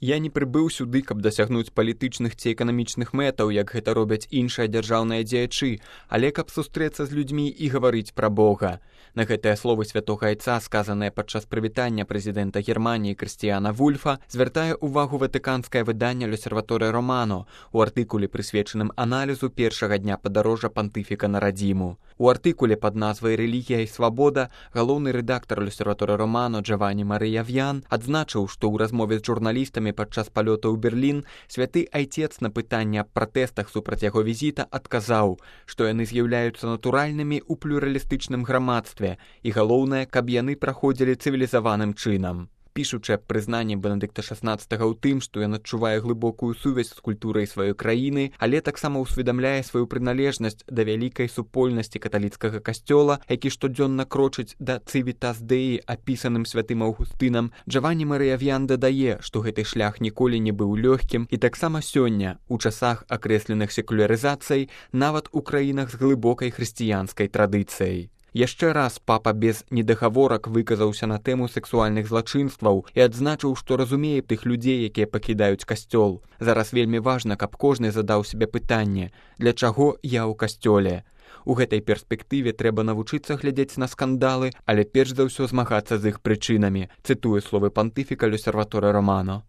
Я не прыбыў сюды, каб дасягнуць палітычных ці эканамічных мэтаў, як гэта робяць іншыя дзяржаўныя дзеячы, але каб сустрэцца з людзьмі і гаварыць пра Бога. На гэтыя словы святога айца, сказаныя падчас прывітання прэзідэнта Германіі Крыстіяна Вульфа, звяртае ўвагу ватыканскае выданне «L'Osservatore Romano» у артыкуле, прысвечаным аналізу першага дня падарожжа пантыфіка на радзіму. У артыкуле пад назвай «Рэлігія і свабода» галоўны рэдактар «L'Osservatore Romano» Джаванні Марыя В'ян адзначыў, што ў размове з журналістамі падчас палёта ў Берлін святы айцец на пытанне аб пратэстах супраць яго візіта адказаў, што яны з'яўляюцца натуральнымі ў плюралістычным грамадстве, і галоўнае, каб яны праходзілі цывілізаваным чынам. Пішучы аб прызнанні Бенедыкта XVI ў тым, што ён адчувае глыбокую сувязь з культурай сваёй краіны, але таксама ўсведамляе сваю прыналежнасць да вялікай супольнасці каталіцкага касцёла, які штодзённа крочыць да цывітас Дэі, апісаным святым Аўгустынам, Джаванні Марыя В'ян дадае, што гэты шлях ніколі не быў лёгкім, і таксама сёння, у часах акрэсленых секулярызацыяй, нават у краінах з глыбокай хрысціянскай традыцыяй. Яшчэ раз папа без недагаворак выказаўся на тэму сексуальных злачынстваў і адзначыў, што разумее тых людзей, якія пакідаюць касцёл. Зараз вельмі важна, каб кожны задаў себе пытанне, для чаго я ў касцёле. У гэтай перспектыве трэба навучыцца глядзець на скандалы, але перш за ўсё змагацца з іх прычынамі, цытуе словы пантыфіка «L'Osservatore Romano».